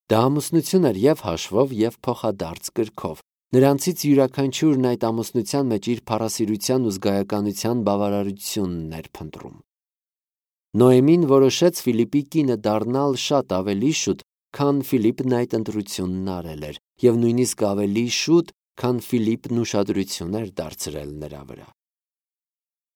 Դա ամուսնություն էր և հաշվով, և փոխադարձ կրքով։ Նրանցից յուրաքանչյուրն այդ ամուսնության մեջ իր փառասիրության ու զգայականության բավարարությունն էր փնտրում։ Նոեմին որոշեց Ֆիլիպի կինը դառնալ շատ ավելի շուտ, քան Ֆիլիպն այդ ընտրությունն արել էր, և նույնիսկ ավելի շուտ, քան Ֆիլիպն ուշադրություն էր դարձրել նրա վրա։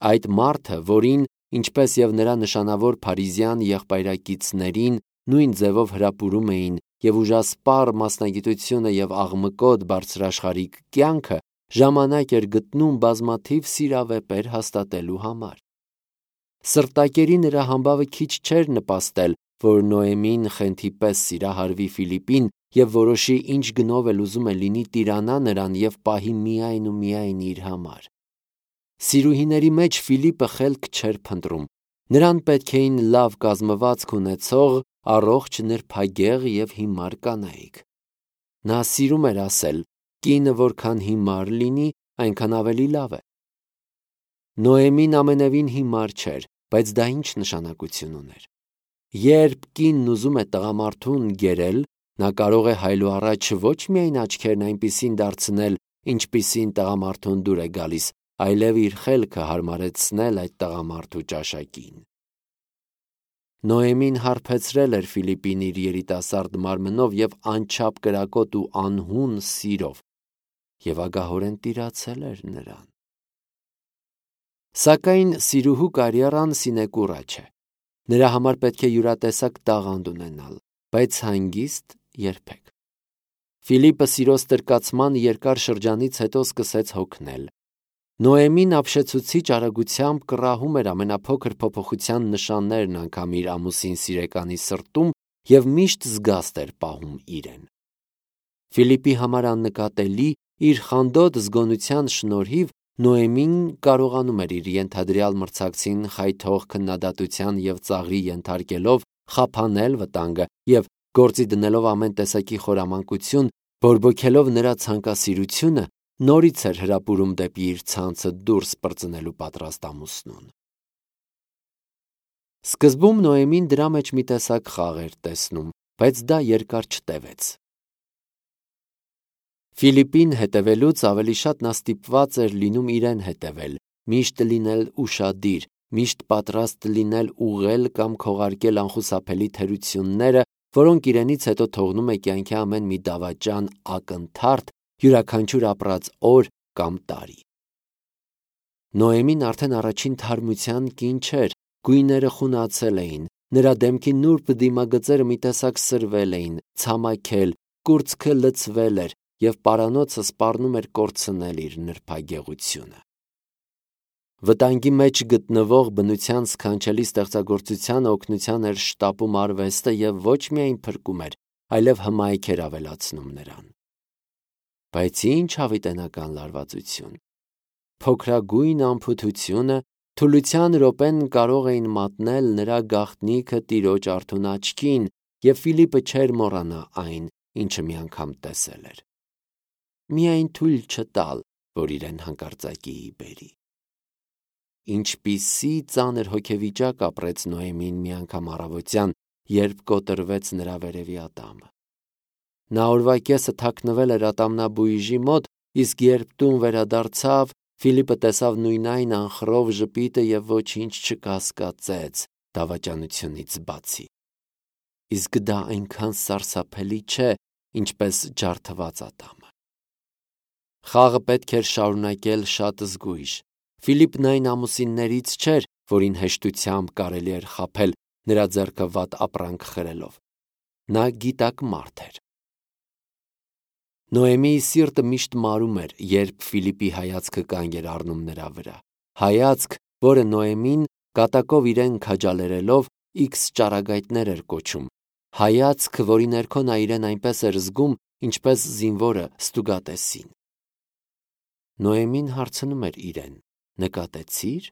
Այդ մարդը, որին, ինչպես և նրա նշանավոր փարիզյան եղբայրակիցներին, նույն ձևով հրապուրում էին և ուժասպառ մասնագիտությունը և աղմկոտ բարձրաշխարհիկ կյանքը, ժամանակ էր գտնում բազմաթիվ սիրավեպեր հաստատելու համար։ Սրտակերի նրա համբավը քիչ չէր նպաստել, որ Նոեմին խենթի պես սիրահարվի Ֆիլիպին և որոշի ինչ գնով էլ ուզում է լինի տիրանա նրան և պահի միայն ու միայն իր համար։ Սիրուհիների մեջ Ֆիլիպը խելք չէր փնտրում։ Նրան պետք էին լավ կազմվածք ունեցող, առողջ, նրբագեղ և հիմար կանայք։ Նա սիրում էր ասել. «Կինը որքան հիմար լինի, այնքան ավելի լավ է»։ Նոեմին ամենևին հիմար չէր, բայց դա ինչ նշանակություն ուներ։ Երբ կինն ուզում է տղամարդուն գերել, նա կարող է հայլուառաջ ոչ միայն աչքերն այնպիսին դարձնել, ինչպիսին տղամարդուն դուր է գալիս, այլև իր խելքը հարմարեցնել այդ տղամարդու ճաշակին։ Նոեմին հարբեցրել էր Ֆիլիպին իր երիտասարդ մարմնով և անչափ կրակոտ ու անհուն սիրով և ագահորեն տիրացել էր նրան։ Սակայն սիրուհու կարիերան սինեկուրա չէ։ Նրա համար պետք է յուրատեսակ տաղանդ ունենալ, բայց հանգիստ երբեք։ Ֆիլիպը սիրո ստրկացման երկար շրջանից հետո սկսեց հոգնել։ Նոեմին ապշեցուցիչ արագությամբ կռահում էր ամենափոքր փոփոխության նշաններն անգամ իր ամուսին սիրեկանի սրտում և միշտ զգաստ էր պահում իրեն։ Ֆիլիպի համար աննկատելի իր խանդոտ զգոնության շնորհիվ Նոեմին կարողանում էր իր ենթադրյալ մրցակցին խայթող քննադատության և ծաղրի ենթարկելով խափանել վտանգը և գործի դնելով ամեն տեսակի խորամանկություն, բորբոքելով նրա ցանկասիրությունը, նորից էր հրապուրում դեպի իր ցանցը դուրս պրծնելու պատրաստ ամուսնուն։ Սկզբում Նոեմին դրա մեջ մի տեսակ խաղ էր տեսնում, բայց դա երկար չտևեց։ Ֆիլիպին հետևելուց ավելի շատ նա ստիպված էր լինում իրեն հետևել, միշտ լինել ուշադիր, միշտ պատրաստ լինել ուղղել կամ քողարկել անխուսափելի թերությունները, որոնք իրենից հետո թողնում է կյանքի ամեն մի դավաճան ակնթարթ, յուրաքանչյուր ապրած օր կամ տարի։ Նոեմին արդեն առաջին թարմության կին չէր, գույները խունացել էին, նրա դեմքի նուրբ դիմագծերը մի տեսակ սրվել էին, ցամաքել, կուրծքը լցվել էր և պարանոցը սպառնում էր կորցնել իր նրբագեղությունը։ Վտանգի մեջ գտնվող բնության սքանչելի ստեղծագործությանը օգնության էր շտապում արվեստը և ոչ միայն փրկում էր, այլև հմայք էր ավելացնում նրան։ Բայց ինչ հավիտենական լարվածություն։ Փոքրագույն անփութությունը, թուլության րոպեն կարող էին մատնել նրա գաղտնիքը տիրոջ արթուն աչքին, և Ֆիլիպը չէր մոռանա այն, ինչը մի անգամ տեսել էր։ Միայն թույլ չտալ, որ իրեն հանկարծակիի բերի։ Ինչպիսի ծանր հոգեվիճակ ապրեց Նոեմին մի անգամ առավոտյան, երբ կոտրվեց նրա վերևի ատամը։ Նա օրվա կեսը թաքնվել էր ատամնաբույժի մոտ, իսկ երբ տուն վերադարձավ, Ֆիլիպը տեսավ նույնայն անխռով ժպիտը և ոչինչ չկասկածեց դավաճանությունից բացի։ Իսկ դա այնքան սարսափելի չէ, ինչպես ջարդված ատամը։ Խաղը պետք էր շարունակել շատ զգույշ։ Ֆիլիպն այն ամուսիններից չէր, որին հեշտությամբ կարելի էր խաբել, նրա ձեռքը վատ ապրանք խրելով։ Նա գիտակ մարդ էր։ Նոեմիի սիրտը միշտ մարում էր, երբ Ֆիլիպի հայացքը կանգ էր առնում նրա վրա։ Հայացք, որը Նոեմին, կատակով իրեն քաջալերելով, X ճառագայթներ էր կոչում։ Հայացք, որի ներքո նա իրեն այնպես էր զգում, ինչպես զինվորը ստուգատեսին։ Նոեմին հարցնում էր իրեն. նկատեցի՞ր։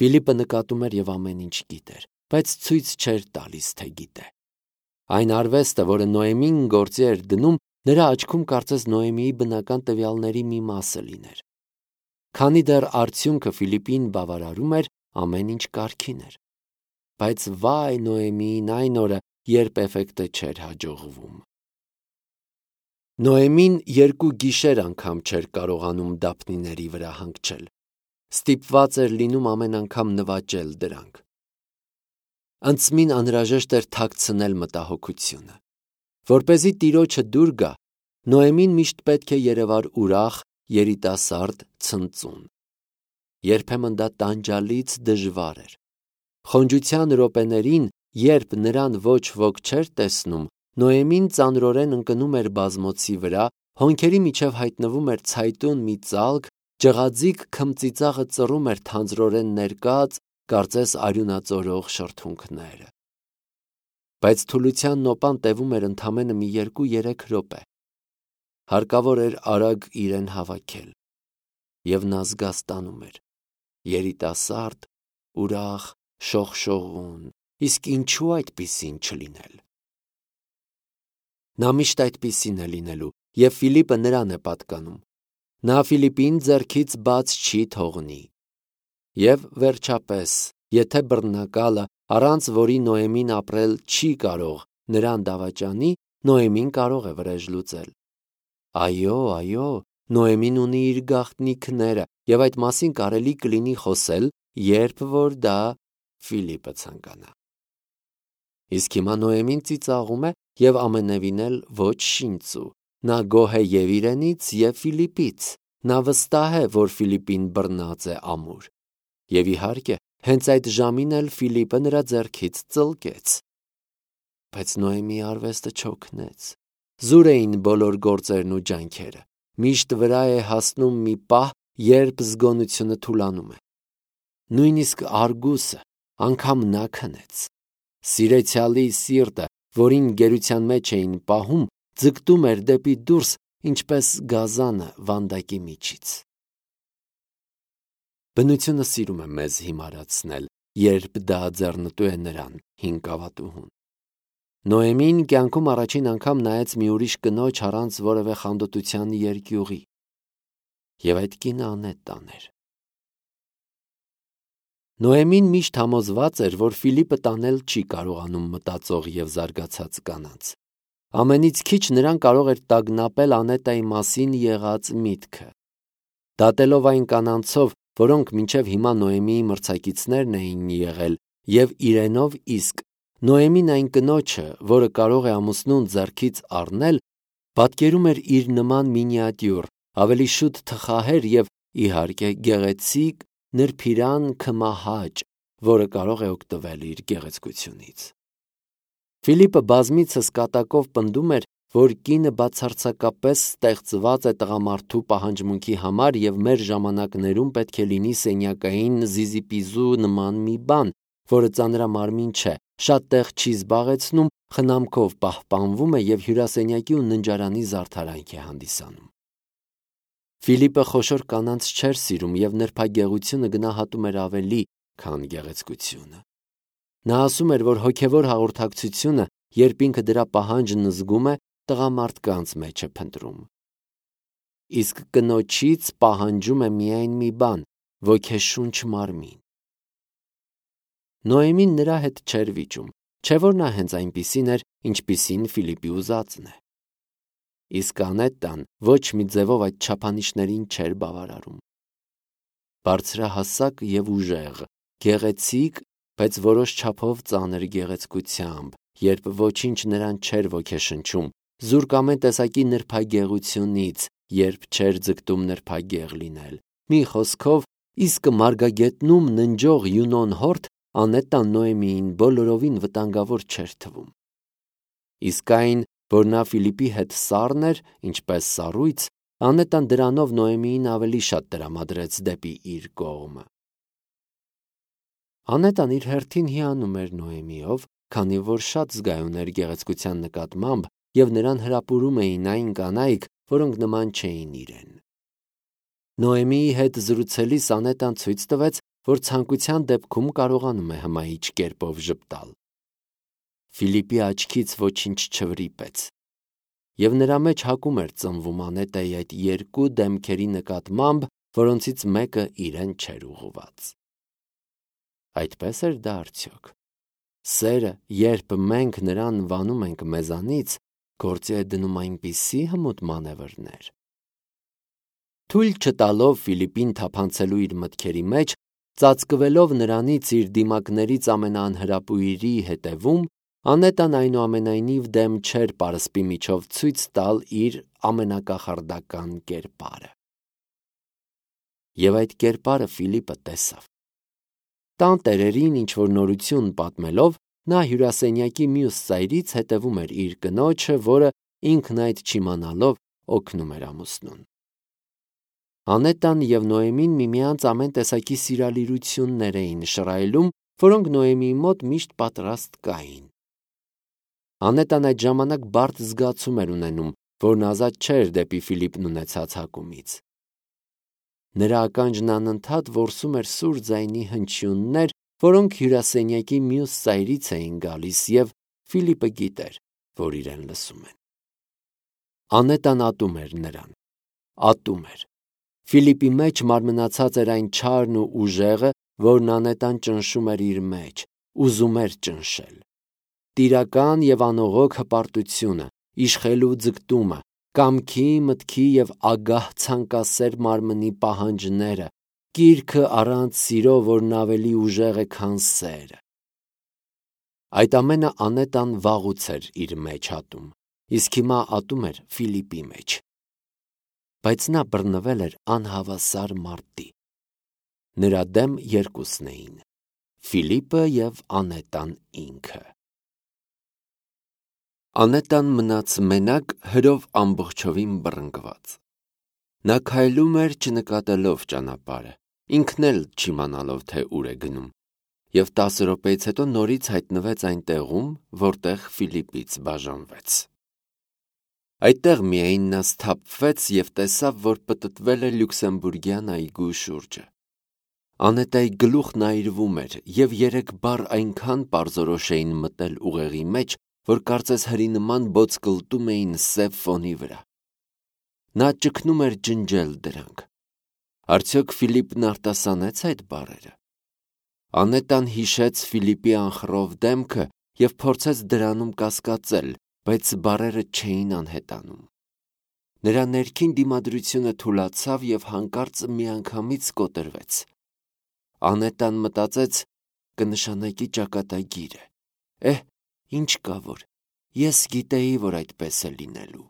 Ֆիլիպը նկատում էր և ամեն ինչ գիտեր, բայց ցույց չէր տալիս, թե գիտե։ Այն արվեստը, որը Նոեմին գործի էր դնում, նրա աչքում կարծես Նոեմիի բնական տվյալների մի մասը լիներ։ Քանի դեռ արդյունքը Ֆիլիպին բավարարում էր, ամեն ինչ կարգին էր։ Բայց վայ Նոեմիին այն օրը, երբ էֆեկտը չէր հաջողվում։ Նոեմին 2 գիշեր անգամ չէր կարողանում դափնիների վրա հանգչել։ Ստիպված էր լինում ամեն անգամ նվաճել դրանք։ Անցմին անհրաժեշտ էր թաքցնել մտահոգությունը։ Որպեսզի տիրոջը դուր գա, Նոեմին միշտ պետք է երևար ուրախ, երիտասարդ, ցնծուն։ Երբեմն դա տանջալից դժվար էր։ Խոնջության րոպեներին, երբ նրան ոչ ոք չէր տեսնում, Նոեմին ծանրորեն ընկնում էր բազմոցի վրա, հոնքերի միջև հայտնվում էր ցայտուն մի ծալք, ջղաձիգ քմծիծաղը ծռում էր թանձրորեն ներկած, կարծես արյունածորող շրթունքները։ Բայց թուլության նոպան տևում էր ընդամենը մի 2-3 րոպե։ Հարկավոր էր արագ իրեն հավաքել, և նա զգաստանում էր, երիտասարդ, ուրախ, շողշողուն, իսկ ինչու այդպիսին չլինել։ Նա միշտ այդպիսին է լինելու, և Ֆիլիպը նրան է պատկանում։ Նա Ֆիլիպին ձեռքից բաց չի թողնի։ Եվ վերջապես, եթե բռնակալը, առանց որի Նոեմին ապրել չի կարող, նրան դավաճանի, Նոեմին կարող է վրեժ լուծել։ Այո, Նոեմին ունի իր գաղտնիքները, և այդ մասին կարելի կլինի խոսել, երբ որ դա Ֆիլիպը ցանկանա։ Իսկ հիմա Նոեմին ծիծաղում է և ամենևին էլ ոչ շինծու։ Նա գոհ է և իրենից, և Ֆիլիպից։ Նա վստահ է, որ Ֆիլիպին բռնած է ամուր։ Եվ իհարկե, հենց այդ ժամին էլ Ֆիլիպը նրա ձեռքից ծլկեց։ Բայց Նոեմի արվեստը չօգնեց։ Զուր էին բոլոր գործերն ու ջանքերը։ Միշտ վրա է հասնում մի պահ, երբ զգոնությունը թուլանում է։ Նույնիսկ Արգուսը, անգամ նա քնեց։ Սիրեցյալի սիրտը, որին գերության մեջ էին պահում, ձգտում էր դեպի դուրս, ինչպես գազանը վանդակի միջից։ Բնությունը սիրում է մեզ հիմարացնել, երբ դա ձեռնտու է նրան, հին կավատուհուն։ Նոեմին կյանքում առաջին անգամ նայեց մի ուրիշ կնոջ առանց որևէ խանդոտության երկյուղի։ Եվ այդ կինը անետան էր։ Նոեմին միշտ համոզված էր, որ Ֆիլիպը տանել չի կարողանում մտածող և զարգացած կանանց։ Ամենից քիչ նրան կարող էր տագնապել Անետայի մասին եղած միտքը։ Դատելով այն կանանցով, որոնք մինչև հիմա Նոեմիի մրցակիցներն էին եղել, և իրենով իսկ, Նոեմին այն կնոջը, որը կարող է ամուսնուն ձեռքից առնել, պատկերում էր իր նման մինիատյուր, ավելի շուտ թխահեր և, իհարկե, գեղեցիկ, նրբիրան քմահաճ, որը կարող է օգտվել իր գեղեցկությունից։ Ֆիլիպը բազմիցս կատակով պնդում էր, որ կինը բացարձակապես ստեղծված է տղամարդու պահանջմունքի համար և մեր ժամանակներում պետք է լինի սենյակային զիզիպիզու նման մի բան, որը ծանրամարմին չէ, շատ տեղ չի զբաղեցնում, խնամքով պահպանվում է և հյուրասենյակի ու ննջարանի զարդարանք է հանդիսանում։ Ֆիլիպը խոշոր կանանց չէր սիրում և նրբագեղությունը գնահատում էր ավելի, քան գեղեցկությունը։ Նա ասում էր, որ հոգևոր հաղորդակցությունը, երբ ինքը դրա պահանջն զգում է, տղամարդկանց մեջ է փնտրում։ Իսկ կնոջից պահանջում է միայն մի բան՝ ոգեշունչ մարմին։ Նոեմին նրա հետ չէր վիճում, չէ՞ որ նա հենց այնպիսին էր, ինչպիսին Ֆիլիպի ուզածն է։ Իսկ Անետան ոչ մի ձևով այդ չափանիշներին չէր բավարարում։ Բարձրահասակ և ուժեղ, գեղեցիկ, բայց որոշ չափով ծանր գեղեցկությամբ, երբ ոչինչ նրան չէր ոգեշնչում, զուրկ ամեն տեսակի նրբագեղությունից, երբ չէր ձգտում նրբագեղ լինել։ Մի խոսքով, իսկ մարգագետնում ննջող Յունոն հորթ Անետան Նոեմիին բոլորովին վտանգավոր չէր թվում։ Իսկ այն, որ նա Ֆիլիպի հետ սառն էր, ինչպես սառույց, Անետան դրանով Նոեմիին ավելի շատ տրամադրեց դեպի իր կողմը։ Անետան իր հերթին հիանում էր Նոեմիով, քանի որ շատ զգայուն էր գեղեցկության նկատմամբ և նրան հրապուրում էին այն կանայք, որոնք նման չէին իրեն։ Նոեմիի հետ զրուցելիս Անետան ցույց տվեց, որ ցանկության դեպքում կարողանում է հմայիչ կերպով ժպտալ։ Ֆիլիպի աչքից ոչինչ չվրիպեց, և նրա մեջ հակում էր ծնվում Անետայի այդ երկու դեմքերի նկատմամբ, որոնցից մեկը իրեն չէր ուղղված։ Այդպե՞ս էր դա արդյոք։ Սերը, երբ մենք նրան վանում ենք մեզանից, գործի է դնում այնպիսի հմուտ մանևրներ։ Թույլ չտալով Ֆիլիպին թափանցելու իր մտքերի մեջ, ծածկվելով նրանից իր դիմակներից ամենաանհրապույրի հետևում, Անետան այնուամենայնիվ դեմ չէր պարսպի միջով ցույց տալ իր ամենակախարդական կերպարը։ Եվ այդ կերպարը Ֆիլիպը տեսավ։ Տան տերերին ինչ-որ նորություն պատմելով, նա հյուրասենյակի մյուս ծայրից հետևում էր իր կնոջը, որը ինքն այդ չիմանալով օգնում էր ամուսնուն։ Անետան և Նոեմին միմյանց ամեն տեսակի սիրալիրություններ էին շռայլում, որոնք Նոեմիի մոտ միշտ պատրաստ կային։ Անետան այդ ժամանակ բարդ զգացում էր ունենում, որն ազատ չէր դեպի Ֆիլիպն ունեցած հակումից։ Նրա ականջն անընդհատ որսում էր սուր ձայնի հնչյուններ, որոնք հյուրասենյակի մյուս ծայրից էին գալիս, և Ֆիլիպը գիտեր, որ իրեն լսում են։ Անետան ատում էր նրան, ատում էր։ Ֆիլիպի մեջ մարմնացած էր այն չարն ու ուժեղը, որն Անետան ճնշում էր իր մեջ, ուզում էր ճնշել։ Տիրական և անողոք հպարտությունը, իշխելու ձգտումը, կամքի, մտքի և ագահ ցանկասեր մարմնի պահանջները, կիրքը առանց սիրո, որն ավելի ուժեղ է, քան սերը։ Այդ ամենը Անետան վաղուց էր իր մեջ ատում, իսկ հիմա ատում էր Ֆիլիպի մեջ։ Բայց նա բռնվել էր անհավասար մարտի։ Նրա դեմ երկուսն էին՝ Ֆիլիպը և Անետան ինքը։ Անետան մնաց մենակ, հրով ամբողջովին բռնկված։ Նա քայլում էր չնկատելով ճանապարհը, ինքն էլ չիմանալով, թե ուր է գնում, և 10 րոպեից հետո նորից հայտնվեց այն տեղում, որտեղ Ֆիլիպից բաժանվեց։ Այդտեղ միայն նա սթափվեց և տեսավ, որ պտտվել է Լյուքսեմբուրգյան այգու շուրջը։ Անետայի գլուխն այրվում էր, և 3 բառ այնքան պարզորոշ էին մտել ուղեղի մեջ, որ կարծես հրի նման բոցկլտում էին սև ֆոնի վրա։ Նա ճգնում էր ջնջել դրանք։ Արդյոք Ֆիլիպն արտասանեց այդ բառերը։ Անետան հիշեց Ֆիլիպի անխռով դեմքը և փորձեց դրանում կասկածել, բայց բառերը չէին անհետանում։ Նրա ներքին դիմադրությունը թուլացավ և հանկարծ միանգամից կոտրվեց։ Անետան մտածեց. կնշանակի ճակատագիրը։ Ինչ կա որ, ես գիտեի, որ այդպես է լինելու։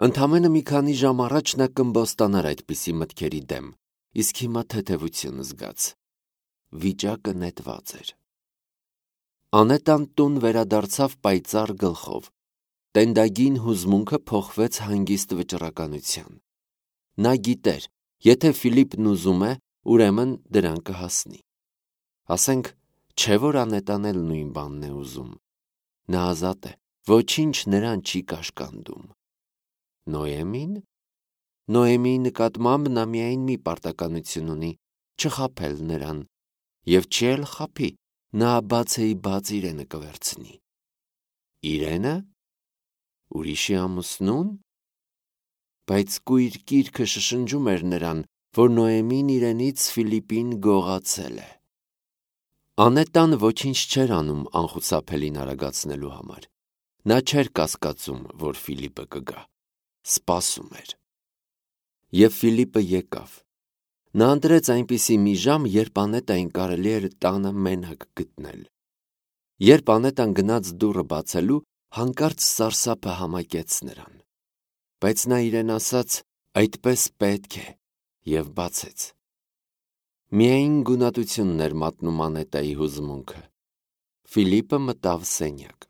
Ընդամենը մի քանի ժամ առաջ նա կըմբոստանար այդպիսի մտքերի դեմ, իսկ հիմա թեթևություն զգաց։ Վիճակը նետված էր։ Անետան տուն վերադարձավ պայծառ գլխով։ Տենդագին հուզմունքը փոխվեց հանգիստ վճռականության։ Նա գիտեր, եթե Ֆիլիպն ուզում է, ուրեմն դրան կհասնի։ Ասենք, չէ՞ որ Անետան էլ նույն բանն է ուզում։ Նա ազատ է, ոչինչ նրան չի կաշկանդում։ Նոեմին։ Նոեմիի նկատմամբ նա միայն մի պարտականություն ունի՝ չխաբել նրան, և չի էլ խաբի, նա բացեիբաց իրենը կվերցնի։ Իրենը։ Ուրիշի ամուսնուն։ Բայց կույր կիրքը շշնջում էր նրան, որ Նոեմին իրենից Ֆիլիպին գողացել է։ Անետան ոչինչ չէր անում անխուսափելին արագացնելու համար։ Նա չէր կասկածում, որ Ֆիլիպը կգա։ Սպասում էր։ Եվ Ֆիլիպը եկավ։ Նա ընտրեց այնպիսի մի ժամ, երբ Անետային կարելի էր տանը մենակ գտնել։ Երբ Անետան գնաց դուռը բացելու, հանկարծ սարսափը համակեց նրան։ Բայց նա իրեն ասաց. այդպես պետք է, և բացեց։ Միայն գունատությունն էր մատնում Անետայի հուզմունքը։ Ֆիլիպը մտավ սենյակ։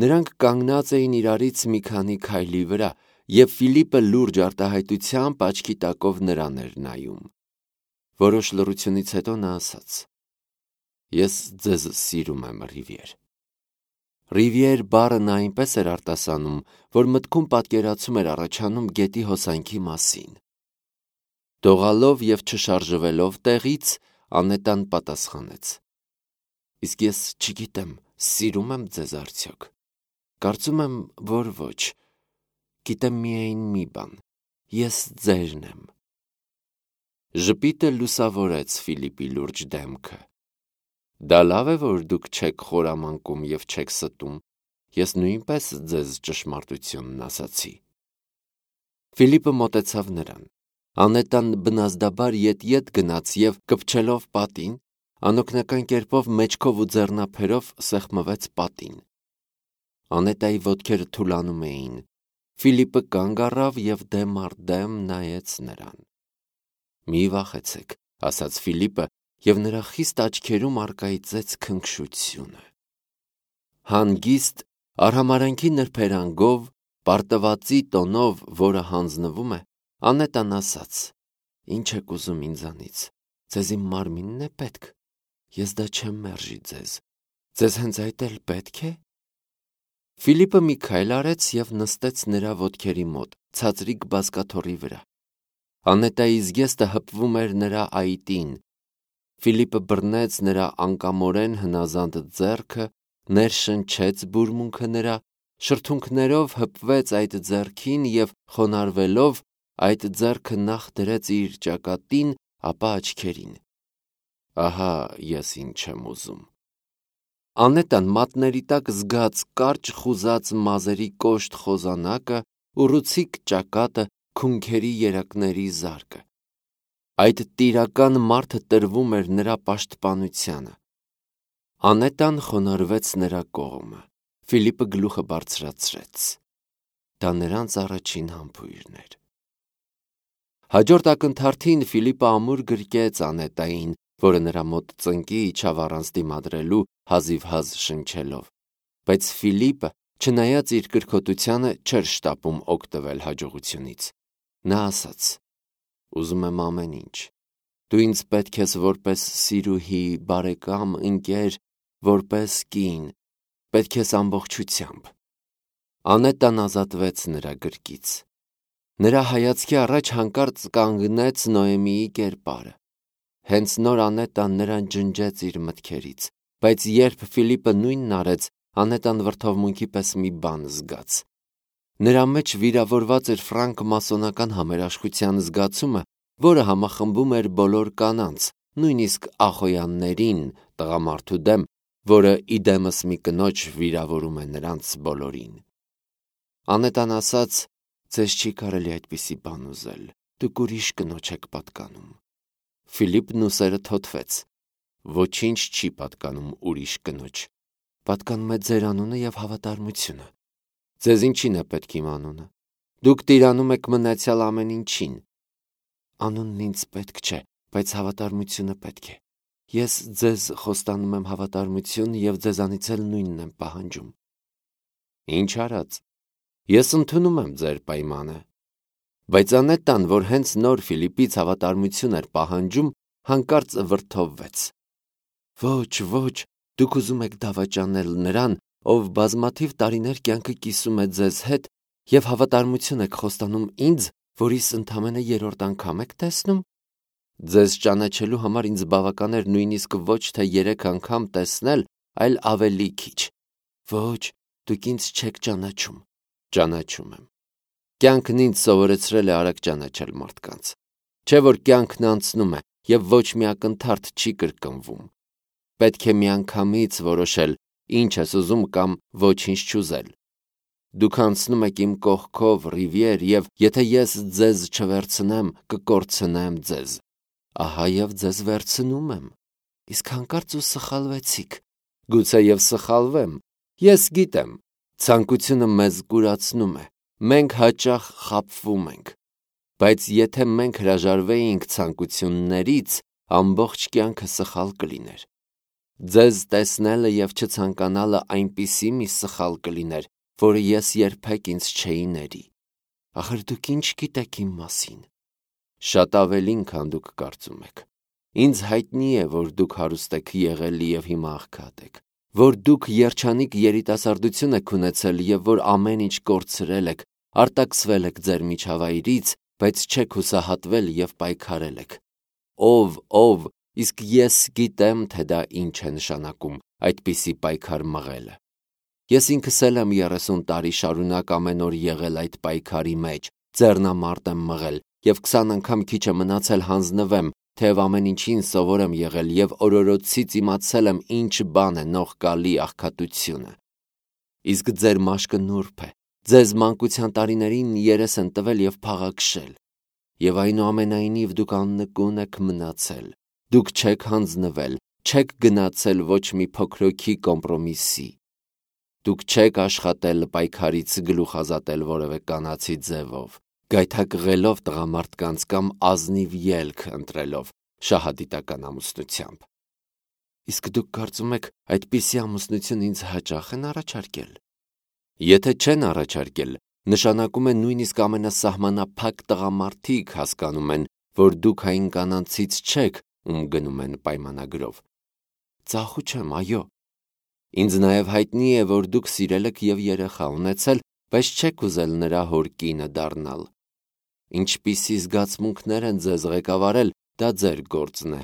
Նրանք կանգնած էին իրարից մի քանի քայլի վրա, և Ֆիլիպը լուրջ արտահայտությամբ աչքի տակով նրան էր նայում։ Որոշ լռությունից հետո նա ասաց. ես ձեզ սիրում եմ, Ռիվիեր։ Ռիվիեր բառը նա այնպես էր արտասանում, որ մտքում պատկերացում էր առաջանում գետի հոսանքի մասին։ Դողալով և չշարժվելով տեղից, Անետան պատասխանեց. իսկ ես չգիտեմ, սիրում եմ ձեզ արդյոք։ Կարծում եմ, որ ոչ։ Գիտեմ միայն մի բան. ես ձերն եմ։ Ժպիտը լուսավորեց Ֆիլիպի լուրջ դեմքը։ Դա լավ է, որ դուք չեք խորամանկում և չեք ստում, ես նույնպես ձեզ ճշմարտությունն ասացի։ Ֆիլիպը մոտեցավ նրան։ Անետան բնազդաբար ետ գնաց և կպչելով պատին, անօգնական կերպով մեջքով ու ձեռնափերով սեղմվեց պատին։ Անետայի ոտքերը թուլանում էին։ Ֆիլիպը կանգ առավ և դեմ առ դեմ նայեց նրան։ «Մի վախեցեք», ասաց Ֆիլիպը, և նրա խիստ աչքերում առկայծեց քնքշությունը։ Հանգիստ, արհամարհանքի նրբերանգով, պարտվածի տոնով, որը հանձնվում է, Անետան ասաց. «Ինչ եք ուզում ինձանից, ձեզ իմ մարմինն է պետք, ես դա չեմ մերժի ձեզ, ձեզ հենց այդ էլ պետք է»։ Ֆիլիպը մի քայլ արեց և նստեց նրա ոտքերի մոտ, ցածրիկ բազկաթոռի վրա։ Անետայի զգեստը հպվում էր նրա այտին։ Ֆիլիպը բռնեց նրա անկամորեն հնազանդ ձեռքը, ներշնչեց բուրմունքը նրա, շրթունքներով հպվեց այդ ձեռքին և խոնարհվելով այդ ձեռքը նախ դրեց իր ճակատին, ապա աչքերին։ «Ահա ես ինչ եմ ուզում»։ Անետան մատների տակ զգաց կարճ խուզած մազերի կոշտ խոզանակը, ուռուցիկ ճակատը, քունքերի երակների զարկը։ Այդ տիրական մարդը տրվում էր նրա պաշտպանությանը։ Անետան խոնարհվեց նրա կողմը։ Ֆիլիպը գլուխը բարձրացրեց։ Դա նրանց առաջին համբույրն էր։ Հաջորդ ակնթարթին Ֆիլիպը ամուր գրկեց Անետային, որը նրա մոտ ծնկի իջավ առանց դիմադրելու, հազիվհազ շնչելով։ Բայց Ֆիլիպը, չնայած իր կրքոտությանը, չէր շտապում օգտվել հաջողությունից։ Նա ասաց. «Ուզում եմ ամեն ինչ։ Դու ինձ պետք ես որպես սիրուհի, բարեկամ, ընկեր, որպես կին, պետք ես ամբողջությամբ»։ Անետան ազատվեց նրա գրկից։ Նրա հայացքի առաջ հանկարծ կանգնեց Նոեմիի կերպարը։ Հենց նոր Անետան նրան ջնջեց իր մտքերից, բայց երբ Ֆիլիպը նույնն արեց, Անետան վրդովմունքի պես մի բան զգաց։ Նրա մեջ վիրավորված էր ֆրանկմասոնական համերաշխության զգացումը, որը համախմբում էր բոլոր կանանց, նույնիսկ ախոյաններին, տղամարդու դեմ, որը իդեմս մի կնոջ վիրավորում է նրանց բոլորին։ Անետան ասաց. «Ձեզ չի կարելի այդպիսի բան ուզել, դուք ուրիշ կնոջ եք պատկանում»։ Ֆիլիպն ուսերը թոթվեց. «Ոչինչ չի պատկանում ուրիշ կնոջ, պատկանում է ձեր անունը և հավատարմությունը։ Ձեզ ինչին է պետք իմ անունը։ Դուք տիրանում եք մնացյալ ամեն ինչին։ Անունն ինձ պետք չէ, բայց հավատարմությունը պետք է։ Ես ձեզ խոստանում եմ հավատարմություն և ձեզանից էլ նույնն եմ պահանջում»։ Ինչ արած, ես ընդունում եմ ձեր պայմանը։ Բայց Անետան, որ հենց նոր Ֆիլիպից հավատարմություն էր պահանջում, հանկարծ վրդովվեց. «Ոչ, ոչ, դուք ուզում եք դավաճանել նրան, ով բազմաթիվ տարիներ կյանքը կիսում է ձեզ հետ, և հավատարմություն եք խոստանում ինձ, որիս ընդամենը երրորդ անգամ եք տեսնում։ Ձեզ ճանաչելու համար ինձ բավական էր նույնիսկ ոչ թե 3 անգամ տեսնել, այլ ավելի քիչ։ Ոչ, դուք ինձ չեք ճանաչում։ Ճանաչում եմ։ Կյանքն ինձ սովորեցրել է արագ ճանաչել մարդկանց։ Չէ՞ որ կյանքն անցնում է, և ոչ մի ակնթարթ չի կրկնվում։ Պետք է միանգամից որոշել, ինչ ես ուզում կամ ոչինչ չուզել։ Դուք անցնում եք իմ կողքով ռիվիեր, և եթե ես ձեզ չվերցնեմ, կկորցնեմ ձեզ։ Ահա և ձեզ վերցնում եմ։ Իսկ հանկարծ ու սխալվեցիք։ Գուցե և սխալվեմ։ Ես գիտեմ, ցանկությունը մեզ կուրացնում է, մենք հաճախ խաբվում ենք։ Բայց եթե մենք հրաժարվեինք ցանկություններից, ամբողջ կյանքը սխալ կլիներ։ Ձեզ տեսնելը և չցանկանալը այնպիսի մի սխալ կլիներ, որը ես երբեք ինձ չէի ների։ Ախր դուք ինչ գիտեք իմ մասին։ Շատ ավելին, քան դուք կարծում եք։ Ինձ հայտնի է, որ դուք հարուստ եք եղել և հիմա աղքատ եք, որ դուք երջանիկ երիտասարդություն եք ունեցել և որ ամեն ինչ կորցրել եք, արտաքսվել եք ձեր միջավայրից, բայց չեք հուսահատվել և պայքարել եք։ Ով, իսկ ես գիտեմ, թե դա ինչ է նշանակում այդպիսի պայքար մղելը։ Ես ինքս էլ եմ 30 տարի շարունակ ամեն օր եղել այդ պայքարի մեջ, ձեռնամարտ եմ մղել և 20 անգամ քիչ է մնացել հանձնվեմ, թեև ամեն ինչին սովոր եմ եղել եւ օրորոցից իմացել եմ ինչ բան է նողկալի աղքատությունը։ Իսկ ձեր մաշկը նուրբ է, ձեզ մանկության տարիներին երես են տվել եւ փաղաքշել, եւ այնուամենայնիվ դուք աննկուն եք մնացել, դուք չեք հանձնվել, չեք գնացել ոչ մի փոքրոքի կոմպրոմիսի, դուք չեք աշխատել պայքարից գլուխ ազատել որևէ կանացի ձևով, գայթակղելով տղամարդկանց կամ ազնիվ ելք ընտրելով շահադիտական ամուսնությամբ։ Իսկ դուք կարծում եք այդպիսի ամուսնություն ինձ հաճախ են առաջարկել։ Եթե չեն առաջարկել, նշանակում է նույնիսկ ամենասահմանափակ տղամարդիկ հասկանում են, որ դուք այն կանանցից չեք, ում գնում են պայմանագրով։ Ծախու չեմ, այո։ Ինձ նաև հայտնի է, որ դուք սիրել եք եւ երեխա ունեցել, բայց չեք ուզել նրա հոր կինը դառնալ։ Ինչպիսի զգացմունքներ են ձեզ ղեկավարել, դա ձեր գործն է։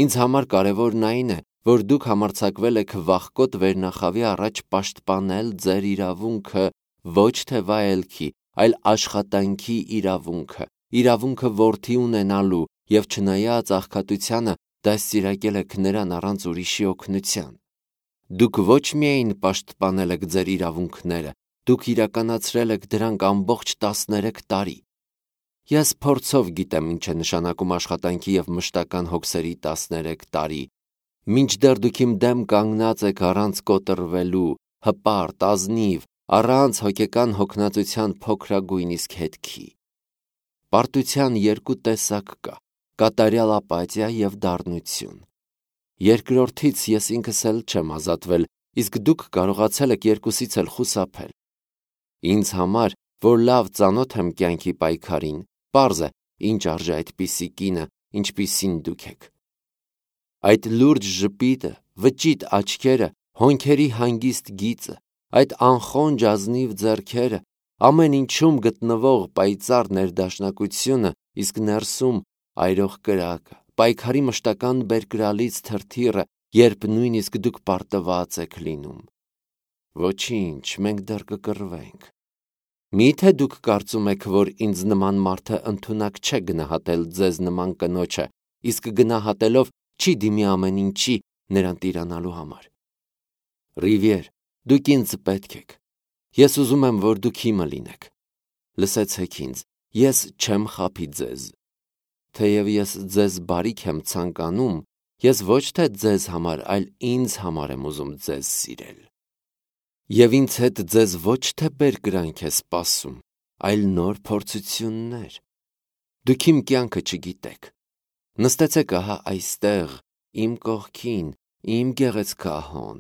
Ինձ համար կարևորն այն է, որ դուք համարձակվել եք վախկոտ վերնախավի առաջ պաշտպանել ձեր իրավունքը ոչ թե վայելքի, այլ աշխատանքի իրավունքը որդի ունենալու եւ չնայած աղքատությանը դաստիարակել եք նրան առանց ուրիշի օգնության։ Դուք ոչ միայն պաշտպանել եք ձեր իրավունքները, դուք իրականացրել եք դրանք ամբողջ 13 տարի։ Ես փորձով գիտեմ ինչ է նշանակում աշխատանքի եւ մշտական հոգսերի 13 տարի, մինչդեռ դուք իմ դեմ կանգնած եք առանց կոտրվելու, հպարտ, ազնիվ, առանց հոգեկան հոգնածության փոքրագույն իսկ հետքի։ Պարտության երկու տեսակ կա՝ կատարյալ ապաթիա եւ դառնություն։ Երկրորդից ես ինքս էլ չեմ ազատվել, իսկ դուք կարողացել եք երկուսից էլ խուսափել։ Ինձ համար, որ լավ ծանոթ եմ կյանքի պայքարին, պարզ է, ինչ արժե այդպիսի կինը, ինչպիսին դուք եք։ Այդ լուրջ ժպիտը, վճիտ աչքերը, հոնքերի հանգիստ գիծը, այդ անխոնջ ազնիվ ձեռքերը, ամեն ինչում գտնվող պայծառ ներդաշնակությունը, իսկ ներսում այրող կրակը, պայքարի մշտական բերկրալից թրթիռը, երբ նույնիսկ դուք պարտված եք լինում։ Ոչինչ, մենք դեռ կկռվենք։ Միթե դուք կարծում եք, որ ինձ նման մարդը ընդունակ չէ գնահատել ձեզ նման կնոջը, իսկ գնահատելով չի դիմի ամեն ինչի նրան տիրանալու համար։ Ռիվիեր, դուք ինձ պետք եք։ Ես ուզում եմ, որ դուք իմը լինեք։ Լսեցեք ինձ, ես չեմ խաբի ձեզ։ Թեև ես ձեզ բարիք եմ ցանկանում, ես ոչ թե ձեզ համար, այլ ինձ համար եմ ուզում ձեզ սիրել։ Եվ ինձ հետ ձեզ ոչ թե բերկրանք է սպասում, այլ նոր փորձություններ։ Դուք իմ կյանքը չգիտեք։ Նստեցեք ահա այստեղ, իմ կողքին, իմ գեղեցկահոն,